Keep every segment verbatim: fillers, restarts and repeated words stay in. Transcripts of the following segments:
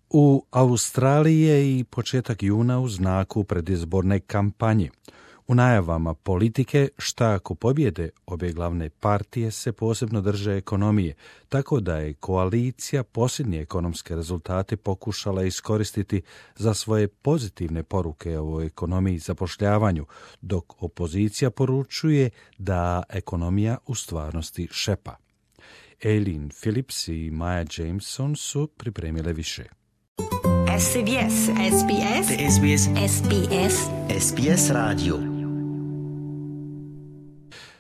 U Australiji je i početak juna u znaku predizborne kampanje. U najavama politike šta ako pobjede obje glavne partije se posebno drže ekonomije, tako da je koalicija posljednje ekonomske rezultate pokušala iskoristiti za svoje pozitivne poruke o ekonomiji i zapošljavanju, dok opozicija poručuje da ekonomija u stvarnosti šepa. Aileen Phillips i Maya Jameson su pripremile više. S B S, S B S, S B S, S B S, S B S radio.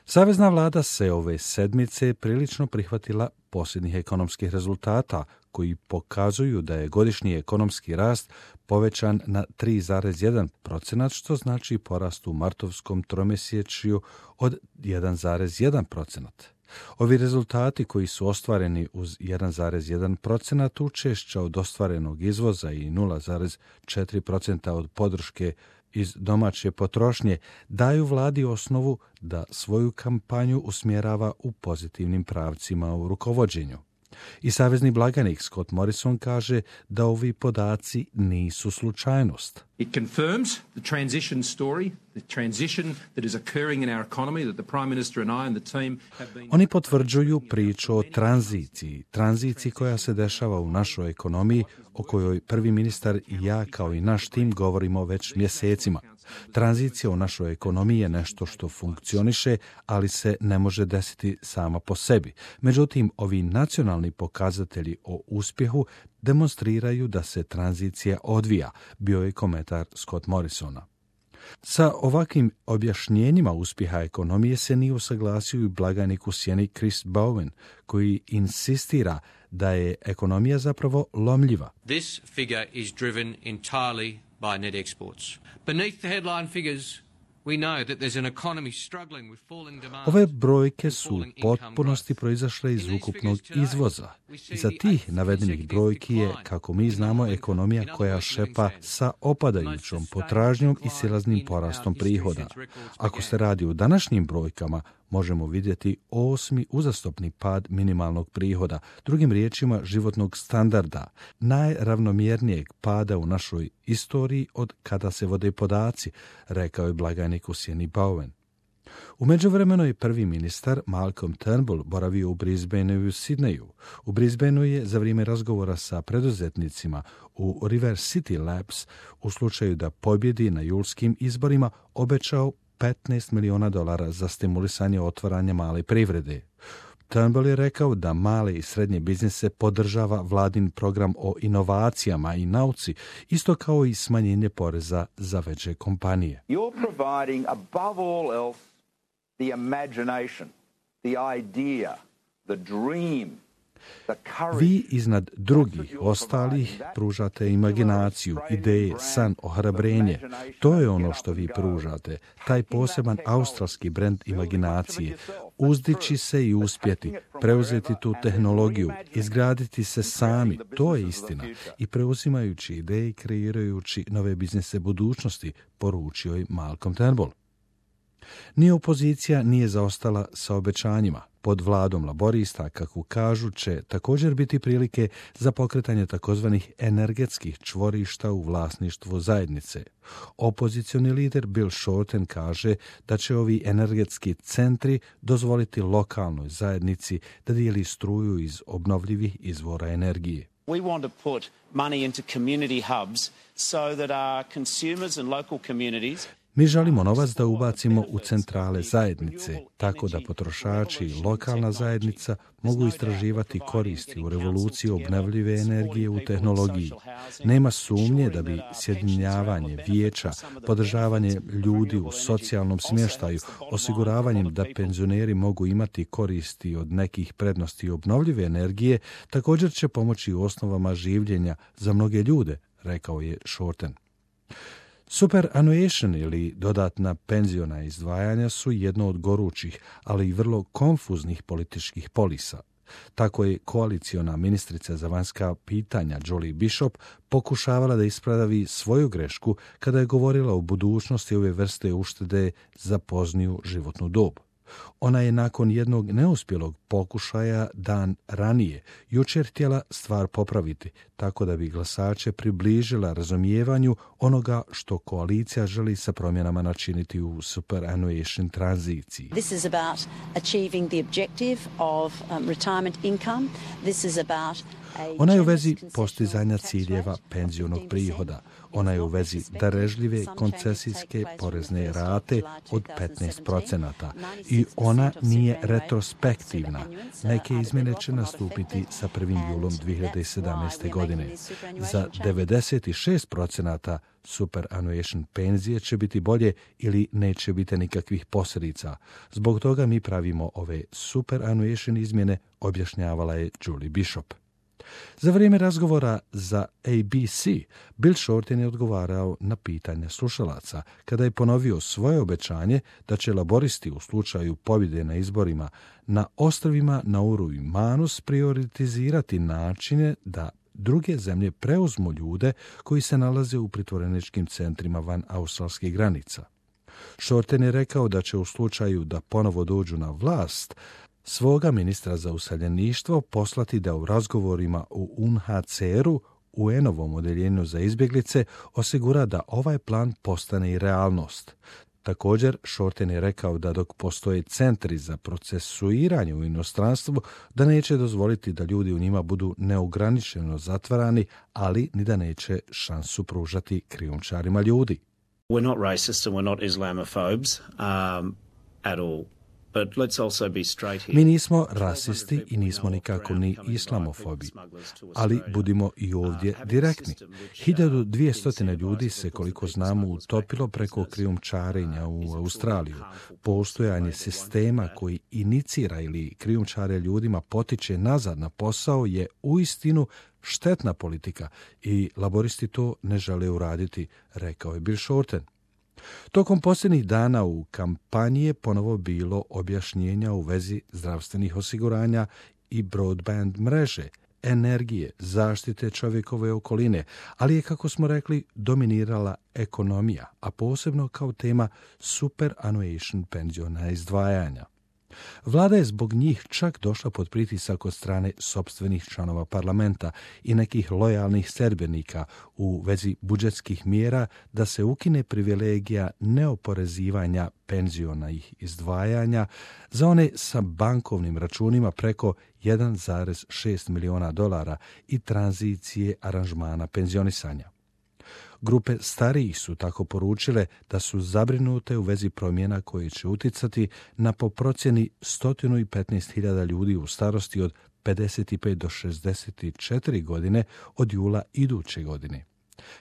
Savezna vlada se ove sedmice prilično prihvatila posljednjih ekonomskih rezultata koji pokazuju da je godišnji ekonomski rast povećan na tri zarez jedan posto, što znači porast u martovskom tromjesečju od jedan zarez jedan posto. Ovi rezultati koji su ostvareni uz jedan zarez jedan posto učešća od ostvarenog izvoza i nula zarez četiri posto od podrške iz domaće potrošnje daju vladi osnovu da svoju kampanju usmjerava u pozitivnim pravcima u rukovođenju. I savezni blagajnik Scott Morrison kaže da ovi podaci nisu slučajnost. It confirms the transition story, the transition that is occurring in our economy that the Prime Minister and I and the team have been... Oni potvrđuju priču o tranziciji, tranziciji koja se dešava u našoj ekonomiji, o kojoj prvi ministar i ja kao i naš tim govorimo već mjesecima. Tranzicija u našoj ekonomiji je nešto što funkcioniše, ali se ne može desiti sama po sebi. Međutim, ovi nacionalni pokazatelji o uspjehu demonstriraju da se tranzicija odvija, bio je komentar Scott Morrisona. Sa ovakvim objašnjenjima uspjeha ekonomije se nije usaglasio i blagajnik u sjeni Chris Bowen, koji insistira da je ekonomija zapravo lomljiva. This figure is driven entirely by net exports. Beneath the headline figures, we know that there's an economy struggling with falling demand. Ove brojke su u potpunosti proizašle iz ukupnog izvoza. Iza tih navedenih brojki je, kako mi znamo, ekonomija koja šepa sa opadajućom potražnjom i silaznim porastom prihoda. Ako se radi o današnjim brojkama, možemo vidjeti osmi uzastopni pad minimalnog prihoda, drugim riječima životnog standarda, najravnomjernijeg pada u našoj istoriji od kada se vode podaci, rekao je blagajnik u sjeni Bowen. U međuvremenu je prvi ministar Malcolm Turnbull boravio u Brisbaneu i u Sidneju. U Brisbaneu je za vrijeme razgovora sa preduzetnicima u River City Labs u slučaju da pobjedi na julskim izborima obećao petnaest milijuna dolara za stimulisanje otvaranja male privrede. Turnbull je rekao da male i srednje biznise podržava vladin program o inovacijama i nauci, isto kao i smanjenje poreza za veće kompanije. You're providing above all else the imagination, the idea, the dream. Vi iznad drugih ostalih pružate imaginaciju, ideje, san, ohrabrenje. To je ono što vi pružate, taj poseban australski brend imaginacije. Uzdići se i uspjeti, preuzeti tu tehnologiju, izgraditi se sami, to je istina. I preuzimajući ideje i kreirajući nove biznise budućnosti, poručio je Malcolm Turnbull. Ni opozicija nije zaostala sa obećanjima. Pod vladom laborista, kako kažu, će također biti prilike za pokretanje takozvanih energetskih čvorišta u vlasništvu zajednice. Opozicioni lider Bill Shorten kaže da će ovi energetski centri dozvoliti lokalnoj zajednici da dijeli struju iz obnovljivih izvora energije. We want to put money into community hubs so that our consumers and local communities Mi želimo novac da ubacimo u centrale zajednice, tako da potrošači i lokalna zajednica mogu istraživati koristi u revoluciji obnovljive energije u tehnologiji. Nema sumnje da bi sjedinjavanje vijeća, podržavanje ljudi u socijalnom smještaju, osiguravanjem da penzioneri mogu imati koristi od nekih prednosti obnovljive energije, također će pomoći u osnovama življenja za mnoge ljude, rekao je Shorten. Superannuation ili dodatna penziona izdvajanja su jedno od gorućih, ali i vrlo konfuznih političkih polisa. Tako je koaliciona ministrica za vanjska pitanja Julie Bishop pokušavala da ispravi svoju grešku kada je govorila o budućnosti ove vrste uštede za pozniju životnu dob. Ona je nakon jednog neuspjelog pokušaja dan ranije jučer htjela stvar popraviti, tako da bi glasače približila razumijevanju onoga što koalicija želi sa promjenama načiniti u superannuation tranziciji. This is about achieving the objective of um, retirement income. This is about Ona je u vezi postizanja ciljeva penzionog prihoda. Ona je u vezi darežljive koncesijske porezne rate od petnaest procenata i ona nije retrospektivna. Neke izmjene će nastupiti sa prvim julom dvije hiljade sedamnaeste. godine. Za devedeset šest procenata superannuation penzije će biti bolje ili neće biti nikakvih posljedica. Zbog toga mi pravimo ove superannuation izmjene, objašnjavala je Julie Bishop. Za vrijeme razgovora za A B C, Bill Shorten je odgovarao na pitanja slušalaca kada je ponovio svoje obećanje da će laboristi u slučaju pobjede na izborima na ostrvima Nauru i Manus prioritizirati načine da druge zemlje preuzmu ljude koji se nalaze u pritvoreničkim centrima van australskih granica. Shorten je rekao da će u slučaju da ponovo dođu na vlast svoga ministra za useljeništvo poslati da u razgovorima u U N H C R-u, U N-ovom odeljenju za izbjeglice, osigura da ovaj plan postane i realnost. Također, Shorten je rekao da dok postoje centri za procesuiranje u inostranstvu, da neće dozvoliti da ljudi u njima budu neograničeno zatvarani, ali ni da neće šansu pružati krijumčarima ljudi. We're not racist and we're not Islamophobes um, at all. Mi nismo rasisti i nismo nikako ni islamofobi, ali budimo i ovdje direktni. hiljadu dvjesto ljudi se, koliko znamo, utopilo preko krijumčarenja u Australiju. Postojanje sistema koji inicira ili krijumčare ljudima potiče nazad na posao je uistinu štetna politika i laboristi to ne žele uraditi, rekao je Bill Shorten. Tokom posljednjih dana u kampanji je ponovo bilo objašnjenja u vezi zdravstvenih osiguranja i broadband mreže, energije, zaštite čovjekove okoline, ali je, kako smo rekli, dominirala ekonomija, a posebno kao tema superannuation penziona izdvajanja. Vlada je zbog njih čak došla pod pritisak od strane sopstvenih članova parlamenta i nekih lojalnih sedbenika u vezi budžetskih mjera da se ukine privilegija neoporezivanja penzionih izdvajanja za one sa bankovnim računima preko jedan zarez šest miliona dolara i tranzicije aranžmana penzionisanja. Grupe starijih su tako poručile da su zabrinute u vezi promjena koje će uticati na po procjeni sto petnaest hiljada ljudi u starosti od pedeset pet do šezdeset četiri godine od jula iduće godine.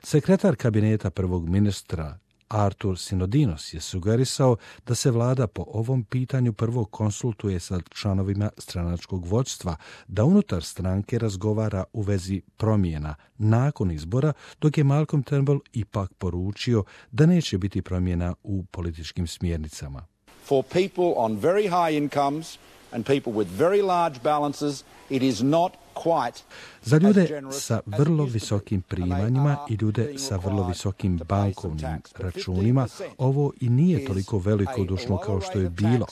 Sekretar kabineta prvog ministra Artur Sinodinos je sugerisao da se vlada po ovom pitanju prvo konsultuje sa članovima stranačkog vodstva, da unutar stranke razgovara u vezi promjena nakon izbora, dok je Malcolm Turnbull ipak poručio da neće biti promjena u političkim smjernicama. For people on very high incomes and people with very large balances, it is not quite. Za ljude sa vrlo visokim primanjima i ljude sa vrlo visokim bankovnim računima ovo i nije toliko velikodušno kao što je bilo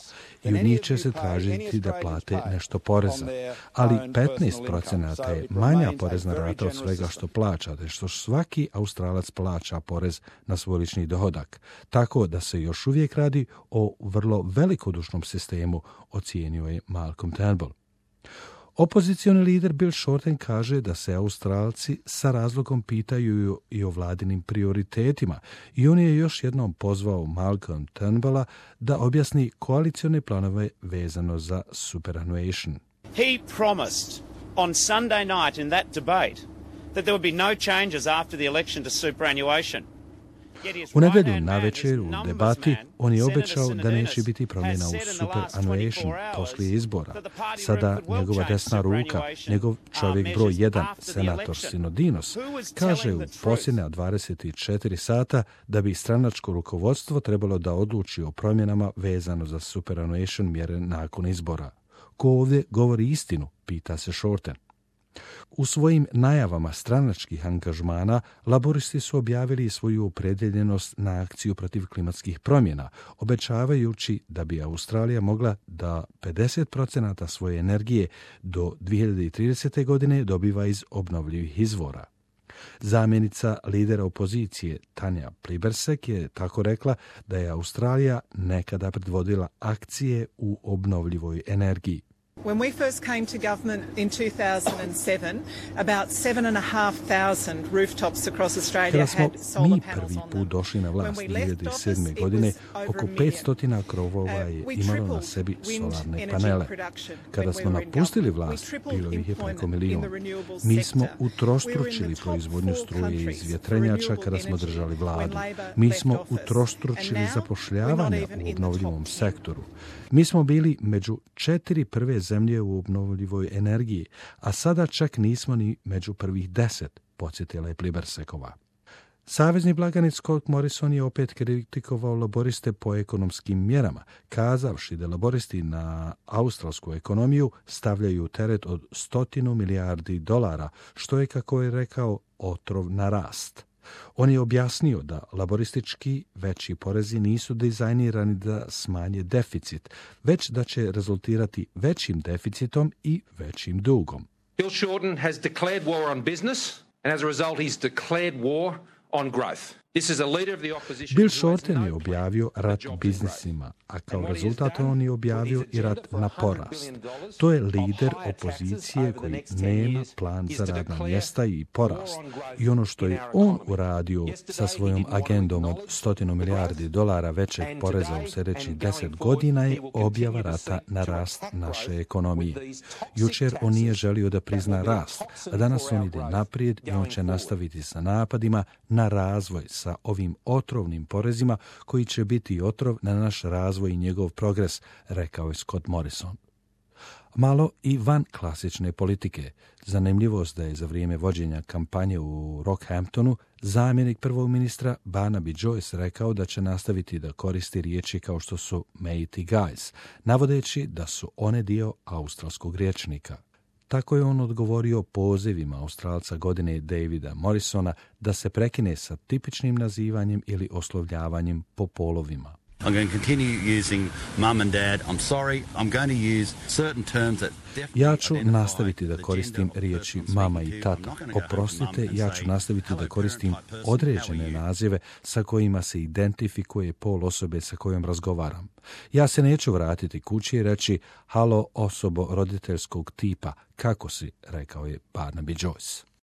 i u njih će se tražiti da plate nešto poreza. Ali petnaest procenata je manja porezna rata od svega što plaćate, što svaki Australac plaća porez na svoj lični dohodak. Tako da se još uvijek radi o vrlo velikodušnom sistemu, ocijenio je Malcolm Turnbull. Opozicioni lider Bill Shorten kaže da se Australci sa razlogom pitaju i o vladinim prioritetima i on je još jednom pozvao Malcolm Turnbulla da objasni koalicione planove vezano za superannuation. He promised on Sunday night in that debate that there would be no changes after the election to superannuation. U nedjelju navečer u debati on je obećao da neće biti promjena u superannuation poslije izbora. Sada njegova desna ruka, njegov čovjek broj jedan, senator Sinodinos, kaže u posljednja dvadeset četiri sata da bi stranačko rukovodstvo trebalo da odluči o promjenama vezano za superannuation mjere nakon izbora. Ko ovdje govori istinu, pita se Shorten. U svojim najavama stranačkih angažmana laboristi su objavili svoju opredjeljenost na akciju protiv klimatskih promjena, obećavajući da bi Australija mogla da pedeset posto svoje energije do dvije hiljade tridesete. godine dobiva iz obnovljivih izvora. Zamjenica lidera opozicije Tanja Plibersek je tako rekla da je Australija nekada predvodila akcije u obnovljivoj energiji. When we first came to government in two thousand seven, about seven and a half thousand rooftops across Australia had solar panels mi on prvi them. put došli na vlast dvije hiljade sedme. godine, oko petsto krovova je imalo na sebi solarne panele. Kada smo napustili vlast, bilo ih je preko milijun. Mi smo utrostručili proizvodnju struje iz vjetrenjača kada smo držali vladu. Mi smo utrostručili zapošljavanje u obnovljivom sektoru. Mi smo bili među četiri prve zemlje u obnovljivoj energiji, a sada čak nismo ni među prvih deset, podsjetila je Plibersekova. Savezni blagajnik Scott Morrison je opet kritikovao laboriste po ekonomskim mjerama, kazavši da laboristi na australsku ekonomiju stavljaju teret od stotinu milijardi dolara, što je, kako je rekao, otrov na rast. On je objasnio da laboristički veći porezi nisu dizajnirani da smanje deficit, već da će rezultirati većim deficitom i većim dugom. Bill Shorten has declared war on business, and as a result he's declared war on growth. This is a leader of the opposition. Bill Shorten je objavio rat biznisima, a kao rezultat on je objavio i rat na porast. To je lider opozicije koji nema plan za radna mjesta i porast. I ono što je on uradio sa svojom agendom od stotinu milijardi dolara većeg poreza u sljedećih deset godina je objava rata na rast naše ekonomije. Jučer on nije želio da prizna rast, a danas on ide naprijed i on će nastaviti sa napadima na razvoj sa ovim otrovnim porezima koji će biti otrov na naš razvoj i njegov progres, rekao je Scott Morrison. Malo i van klasične politike. Zanimljivost da je za vrijeme vođenja kampanje u Rockhamptonu zamjenik prvog ministra Barnaby Joyce rekao da će nastaviti da koristi riječi kao što su mate guys, navodeći da su one dio australskog rječnika. Tako je on odgovorio pozivima Australca godine Davida Morrisona da se prekine sa tipičnim nazivanjem ili oslovljavanjem po polovima. I'm going to continue using mum and dad. I'm sorry. I'm going to use certain terms that Ja ću nastaviti da koristim riječi mama i tata. Oprostite, ja ću nastaviti da koristim određene nazive sa kojima se identifikuje pol osobe sa kojom razgovaram. Ja se neću vratiti kući i reći halo osobo roditeljskog tipa, kako si, rekao je Barnaby Joyce.